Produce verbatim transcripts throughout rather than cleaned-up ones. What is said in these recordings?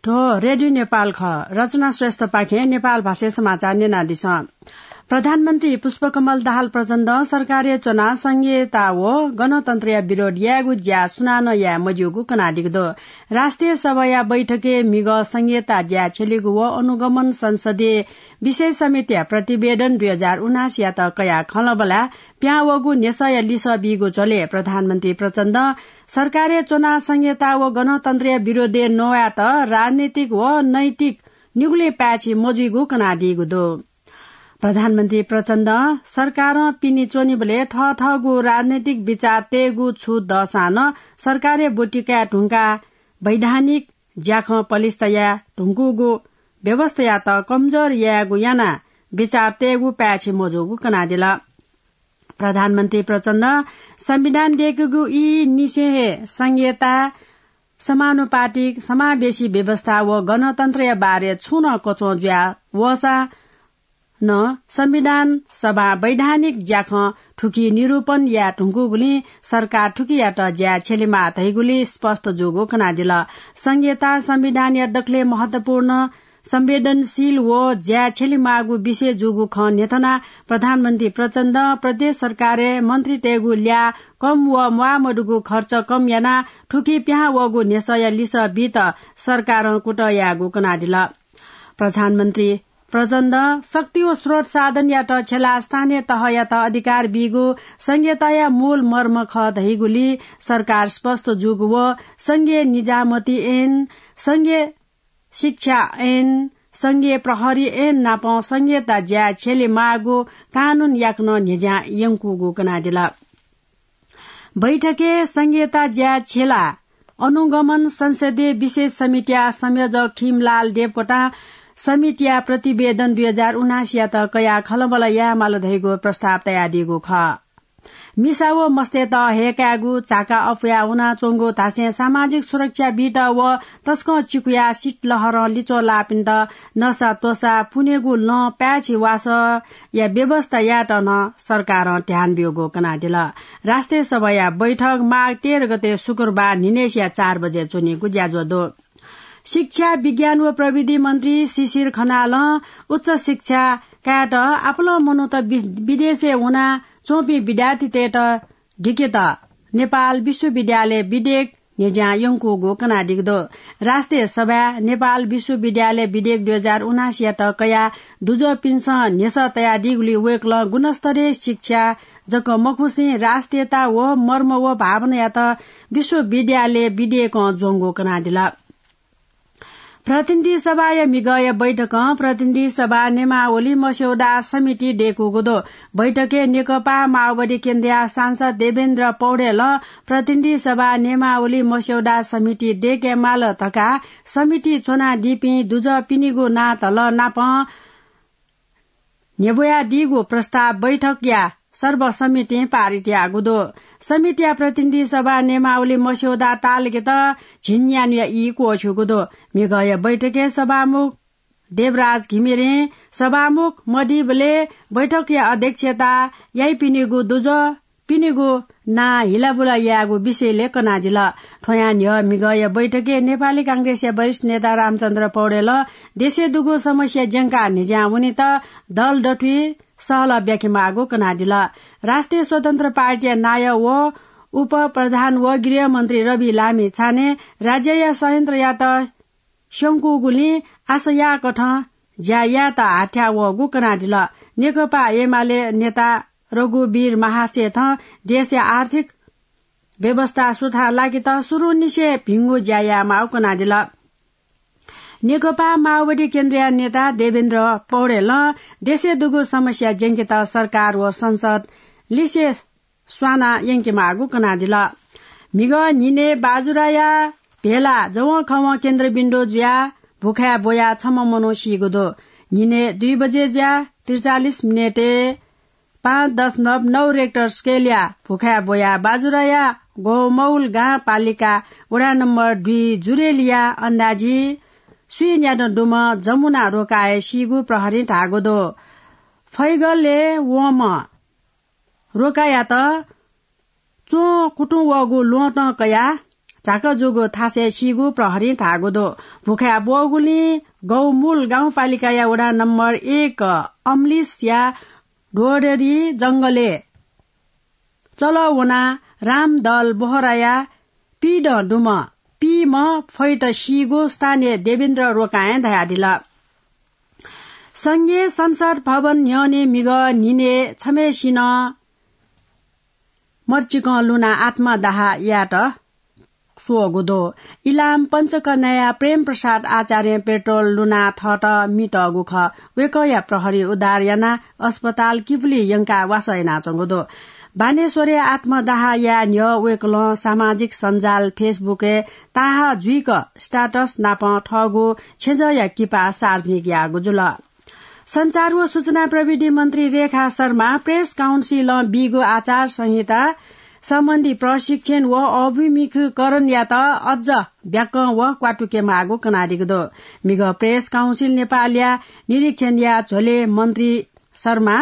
थ्व रेडियो नेपाल खः। रचना श्रेष्ठपाखें नेपाल भाषाय् समाचार न्यनादिसँ। प्रधानमन्त्री पुष्पकमल दाहाल प्रचण्डं सरकारय् च्वनाः संघीयता व गणतन्त्रया विरोध यायेगु ज्या सुनानं याये मज्यूगु कनादीगु दु। राष्ट्रिय सभाया बैठकय् म्हिगः संघीयता ज्या छ्यलीगु व अनुगमन संसदीय विशेष समितिया प्रतिवेदन दुई हजार उनासीयात कयाः खँल्हाबल्हा पिहां वःगु न्ह्यसःया लिसः बीगु झ्वलय् प्रधानमन्त्री प्रचण्डं सरकारय् च्वनाः संघीयता व गणतन्त्रया विरोधय् नवायेत राजनीतिक व नैतिक निगुलिं पाय्छि मजुइगु कनादीगु दु। प्रधानमन्त्री प्रचण्डं सरकारं पिने च्वनीबलय् थःथःगु राजनैतिक विचार तयेगु छु दःसां नं सरकारय् ब्वति काये धुंकाः वैधानिक ज्याखँ पलिस्था याये धुंकूगु व्यवस्थायात कमजोर यायेगु यानाः विचार तयेगु पाय्छि मजूगु कनादिल। प्रधानमन्त्री प्रचण्डं संविधान दय्केगु ई निसें हे संघीयता, समानुपातिक, समावेशी व्यवस्था व गणतन्त्रया बारे छुं नं कच्वं जुया वःसा नं संविधान सभां वैधानिक ज्याखँ थुकी निरूपण याये धुंकूगुलिं सरकार थुकियात ज्या छ्यलेमाः धइगुली स्पष्ट जूगु कनादिल। संघीयता संविधानया दकलय् महत्वपूर्ण, संवेदनशील व ज्या छ्यलेमाःगु विषय जूगु खँ न्ह्यथनाः प्रधानमन्त्री प्रचण्डं प्रदेश सरकारय् मन्त्रीतय्गु ल्याः कम व म्वाःमदुगु खर्च कम यानाः थुकी पिहां वःगु न्ह्यसःया लिसः बीत सरकारं कुतः यायेगु कनादिल। प्रधानमन्त्री प्रचण्डं शक्ति व स्रोत साधनयात छ्यलाः स्थानीय तहयात अधिकार बीगु संघीयताया मूल मर्म खः धइगुली सरकार स्पष्ट जूगु व संघीय निजामती ऐन, संघीय शिक्षा ऐन, संघीय प्रहरी ऐन नापं संघीयता ज्या छ्यलेमाःगु कानून याकनं न्ह्यज्यां यंकूगु कनादिल। बैठकय् संघीयता ज्या छ्यलाः अनुगमन संसदीय विशेष समितिया संयोजक खिमलाल देवकोटां समितिया प्रतिवेदन दुई हजार उनासीयात कयाः खँल्हाबल्हा यायेमाल धइगु प्रस्ताव तयादीगु खः। मिसा व मस्तय्त हय्कायेगु, झाका अप्वया वनाच्वंगु धासें सामाजिक सुरक्षा बीत व तसकं चिकुया शीतलहरं लिच्वः लाःपिन्त नसा त्वसा पुनेगु लँ पाय्छि वासःया व्यवस्था यायेत नं सरकारं ध्यान ब्यूगु कनादिल। राष्ट्रिय सभाया बैठक माघ तेह्र गते शुक्रबार न्हिनय्सिया चार बजे च्वनीगु ज्याझ्वः दु। शिक्षा, विज्ञान व प्रविधि मन्त्री शिशिर खनालं उच्च शिक्षा कायेत आपालं मनूत वि-, विदेशय् वना च्वंपिं विद्यार्थीतय्त दिकेत नेपाल विश्वविद्यालय विधेयक न्ह्यज्यां यंकूगु कनादीगु दु। राष्ट्रिय सभाय् नेपाल विश्वविद्यालय विधेयक दुई हजार उनासीयात कयाः दुजःपिन्सं न्ह्यसः तयादीगुलिं वय्कलं गुणस्तरीय शिक्षा जक मखुसें राष्ट्रियता व मर्म व भावनायात विश्वविद्यालय विधेयकं ज्वंगु कनादिल। प्रतिनिधि सभाया म्हिगःया बैठकं प्रतिनिधि सभा नियमावली मस्यौदा समिति दय्कूगु दु। बैठकय् नेकपा माओवादी केन्द्रया सांसद देवेन्द्र पौडेलं प्रतिनिधि सभा नियमावली मस्यौदा समिति दय्केमाल धकाः समिति च्वनादीपिं दुजः पिनिगु नां धल नापं न्ह्यब्वयादीगु प्रस्ताव बैठकया सर्वसम्मतिं पारित याःगु दु। समितिया प्रतिनिधि सभा नियमावली मस्यौदा तालुकेत झिंन्यान्हुया ई क्वःछ्यूगु दु। म्हिगःया बैठकय् सभामुख देवराज घिमिरें सभामुख मदीबलय् बैठकया अध्यक्षता याइपिनिगु दुजः पिनिगु नां हिलाबुला यायेगु विषयलय् कनादिल। थ्वयां न्ह्यः म्हिगःया बैठकय् नेपाली कांग्रेसया वरिष्ठ नेता रामचन्द्र पौडेलं देशय् दुगु समस्या ज्यंकाः न्ह्यज्यां वनेत दल दथुइ सहलह ब्याकेमाःगु कनादिल। राष्ट्रिय स्वतन्त्र पार्टीया नायः व उपप्रधान व गृहमन्त्री रवि लामिछानें राज्यया संयन्त्रयात स्यंकूगुलिं आशा याःकथं ज्या यायेत हाथ्याः वःगु कनादिल। नेकपा एमाले नेता रघुवीर महासेठं देशया आर्थिक व्यवस्था सुथां लाकेत सुरुंनिसें भिंगु ज्या यायेमाःगु कनादिल। नेकपा माओवादी केन्द्रया नेता देवेन्द्र पौडेलं देशय् दुगु समस्या ज्यंकेत सरकार व संसद लिसे स्वाना यंकेमाःगु कनादिल। म्हिगः न्हिनय् बाजुराया भेला जवंखवं केन्द्रबिन्दु जुयाः भुखाय् ब्वयाः छम्ह मनू सीगु दु। न्हिनय् दुई बजे जुयाः त्रिचालिस मिनेटय् पाँच दशमलव नौ रेक्टर स्केलया भुखाय् ब्वयाः बाजुराया गोमौल गाउँपालिका वडा नम्बर दुई जुरेलिया अन्दाजी स्वीन्यादँ दुम्ह जमुना रोकाय् सीगु प्रहरीं धाःगु दु। फैगलय् वंम्ह रोकायात च्वं कुतुं वःगु ल्वहँतं कयाः झाकाजूगु थासय् सीगु प्रहरीं धाःगु दु। भुखाय् ब्वःगुलिं गौमूल गाउँपालिकाया वडा नम्बर एक अम्लिसया ढोडेरी जंगलय् चलः वनाः रामदल बोहराया पीदँ दुम्ह पीम्ह फैत सीगु स्थानीय देवेन्द्र रोकायें धयादिल। संघीय संसद भवन न्ह्यःने म्हिगः न्हिनय् छम्हय्सिनं मर्चिकं लुनाः आत्मदाह यायेत स्वःगु दु। इलाम पञ्चकन्याया प्रेम प्रसाद आचार्यं पेट्रोल लुनाः थःत मि तःगु खः। वय्कःया प्रहरी उद्धार यानाः अस्पताल किपुली यंकाः वासः यानाच्वंगु दु। बानेश्वरय् आत्मदाह याये न्ह्यः वय्कलं सामाजिक सञ्जाल Facebook-य् ताहाः जुइक status नाप थःगु छेँजःया किपा सार्वजनिक याःगु जुल। सञ्चार व सूचना प्रविधि मन्त्री रेखा शर्मा प्रेस काउन्सिलं बीगु आचार संहिता सम्बन्धी प्रशिक्षण व अभिमुखीकरणयात अझ ब्याकं व क्वातुके माःगु कनादीगु दु। म्हिगः प्रेस काउन्सिल नेपालया निरीक्षणया झ्वलय् मन्त्री शर्मा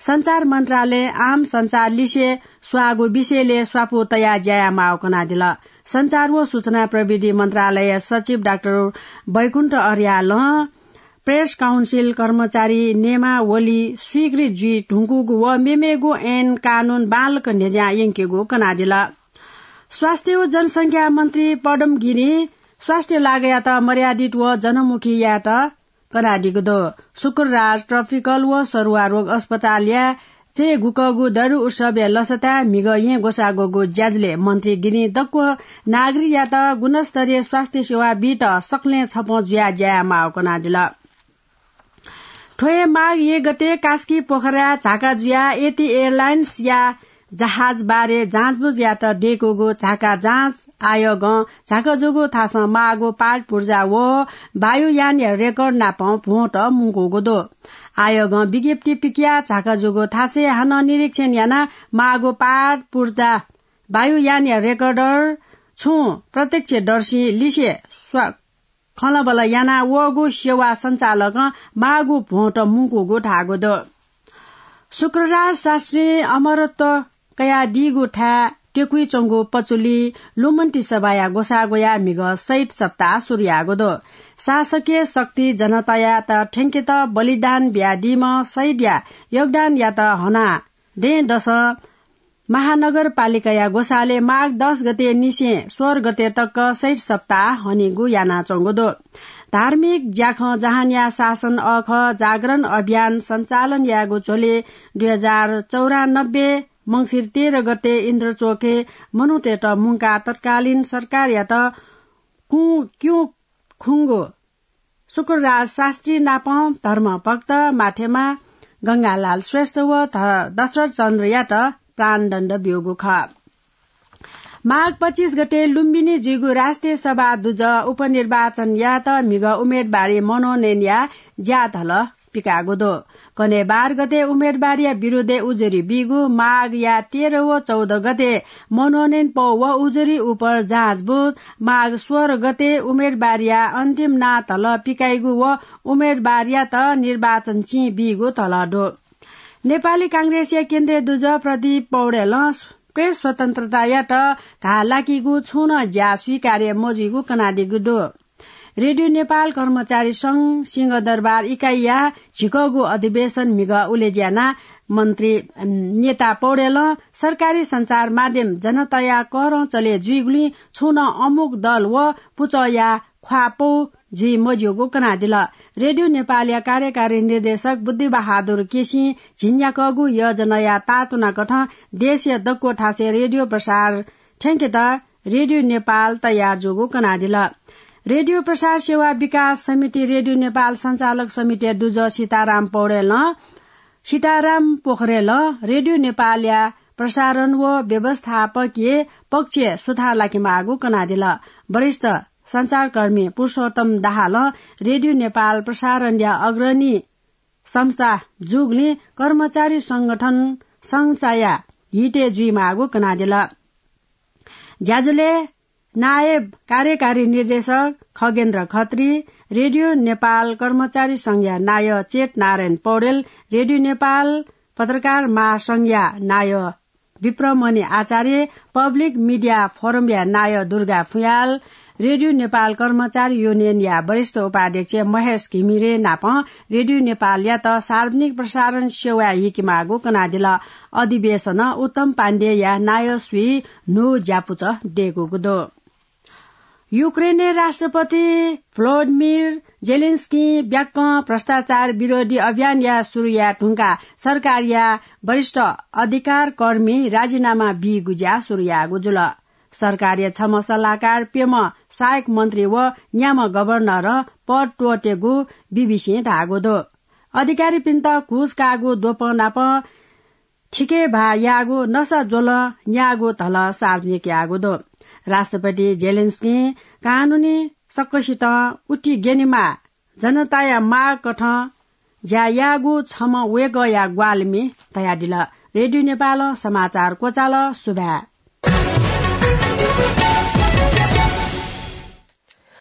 सञ्चार मन्त्रालयं आम सञ्चार लिसे स्वाःगु विषयलय् स्वापू तयाः ज्या यायेमाःगु कनादिल। सञ्चार व सूचना प्रविधि मन्त्रालय सचिव डाक्टर बैकुण्ठ अर्यालं प्रेस काउन्सिल कर्मचारी नियमावली स्वीकृत जुइ धुंकूगु व मेमेगु ऐन कानून बांलाक न्ह्यज्यां यंकेगु कनादिल। स्वास्थ्य व जनसंख्या मन्त्री पदम गिरिं स्वास्थ्य लागयात मर्यादित व जनमुखी यायेत कनादीगु दु। शुक्रराज ट्रपिकल व सरुवा रोग अस्पतालया चय् गुकःगु दरु उत्सवया लसताय् म्हिगः येँ ग्वसाः ग्वःगु ज्याझ्वलय् मन्त्री गिरिं दक्व नागरिकयात गुणस्तरीय स्वास्थ्य सेवा बीत सकलें छपं जुयाः ज्या यायेमाःगु कनादिल। थ्व हे माघ एक गते कास्की पोखराय् झाका जुयाः एटी एयरलाइन्सया जहाज बारे जाँचबुझ यायेत दय्कूगु झाका जाँच आयोगं झाका जूगु थासं माःगु पार्ट पुर्जा व वायुयानया रेकर्ड नाप भ्वंत मुंकूगु दु। आयोगं विज्ञप्ति पिकयाः झाका जूगु थासय् हानं निरीक्षण यानाः माःगु पार्ट पुर्जा वायुयानया रेकर्डर छुं प्रत्यक्षदर्शी लिसे स्वा-, खँल्हाबल्हा यानाः वःगु सेवा सञ्चालकं माःगु भ्वंत मुंकूगु धाःगु दु। शुक्रराज शास्त्रीं अमरत्व कयादीगु थाय् टेकुइ च्वंगु पचुली लुमन्ति सभाया ग्वसाः ग्वयाः म्हिगः शहीद सप्ताह सुरु याःगु दु। शासकीय शक्ति जनतायात थ्यंकेत बलिदान बियादीम्ह शहीदया योगदानयात हनाः दँय्‌दसं महानगरपालिकाया ग्वसालय् माघ दस गते निसें सोह्र गते तक शहीद सप्ताह हनेगु यानाच्वंगु दु। धार्मिक ज्याखँ जहानया शासन अःखः जागरण अभियान सञ्चालन यायेगु झ्वलय् दुई हजार चौरानब्बे मंसिर तेह्र गते इन्द्रचोकय् मनूतय्‌त मुंकाः तत्कालीन सरकारयात कुँ क्युँ खुंगु शुक्रराज शास्त्री नापं धर्मभक्त माथेमा गंगालाल श्रेष्ठ व ध-, दशरथ चन्द्रयात प्राणदण्ड ब्यूगु खः। माघ पच्चिस गते लुम्बिनी जुइगु राष्ट्रिय सभा दुजः उपनिर्वाचनयात म्हिगः उम्मेदवारी मनोनयनया ज्याधल पिकाःगु दु। कन्हय् बाह्र गते उम्मेदवारीया विरुद्धय् उजुरी बीगु, माघया तेह्र व चौध गते मनोनयन पौ व उजुरी उपर जाँचबुझ, माघ सोह्र गते उम्मेदवारीया अन्तिम नां धल पिकाइगु व उम्मेदवारयात निर्वाचन चिं बीगु धल दु। नेपाली कांग्रेसया केन्द्रीय दुजः प्रदीप पौडेलं प्रेस स्वतन्त्रतायात घाः लाकीगु छुं नं ज्या स्वीकार्य मजुइगु कनादीगु दु। रेडियो नेपाल कर्मचारी संघ सिंहदरबार इकाइया झिकःगु अधिवेशन म्हिगः उलेज्यानाः मन्त्री, अम, नेता पौडेलं सरकारी सञ्चार माध्यम जनताया करं चले जुइगुलिं छुं नं अमुक दल व पुचःया ख्वाः पौ जुइ मज्यूगु कनादिल। रेडियो नेपालया कार्यकारी निर्देशक बुद्धिबहादुर केसीं झिंन्याकःगु योजनाया तातुनाकथं देशया दक्व थासय् रेडियो प्रसार थ्यंकेत रेडियो नेपाल तयार जूगु कनादिल। रेडियो प्रसार सेवा विकास समिति रेडियो नेपाल सञ्चालक समितिया दुजः सीताराम पौडेलं, सीताराम पोखरेलं रेडियो नेपालया प्रसारण व व्यवस्थापकीय पक्षय् सुधार लाकेमाःगु कनादिल। वरिष्ठ सञ्चारकर्मी पुरुषोत्तम दाहालं रेडियो नेपाल प्रसारणया अग्रणी संस्था जूगुलिं कर्मचारी संगठन संस्थाया हितय् जुइमाःगु कनादिल। ज्याझ्वलय् नायब कार्यकारी निर्देशक खगेन्द्र खत्री, रेडियो नेपाल कर्मचारी संघया नायः चेत नारायण पौडेल, रेडियो नेपाल पत्रकार महासंघया नायः विप्रमणि आचार्य, पब्लिक मिडिया फोरमया नायः दुर्गा फुयाल, रेडियो नेपाल कर्मचारी युनियनया वरिष्ठ उपाध्यक्ष महेश घिमिरे नाप रेडियो नेपालयात सार्वजनिक प्रसारण सेवाय् हिकेमाःगु कनादिल। अधिवेशनं उत्तम पाण्डेया नायःसुइ न्हू ज्यापुचः दय्कूगु दु। युक्रेनया राष्ट्रपति भ्लोदिमिर जेलेन्स्कीं ब्याक्कं भ्रष्टाचार विरोधी अभियानया सुरु याये धुंकाः सरकारया वरिष्ठ अधिकारकर्मी राजीनामा बीगु ज्या सुरु याःगु जुल। सरकारया छम्ह सल्लाहकार, प्यम्ह सहायक मन्त्री व न्याम्ह गभर्नरं पद त्वःतेगु बीबीसीं धाःगु दु। अधिकारीपिन्त घुस काःगु द्वपं नाप थिके भाः याःगु, नसा ज्वलं न्याःगु धलः सार्वजनिक याःगु दु। राष्ट्रपति जेलेन्स्कीं कानूनी सकसितं उति ग्यनेमाः, जनताया मागकथं ज्या याःगु छम्ह वय्कःया ग्वाहालिमि धयादिल। रेडियो नेपालं समाचार क्वचाल। सुभाय्।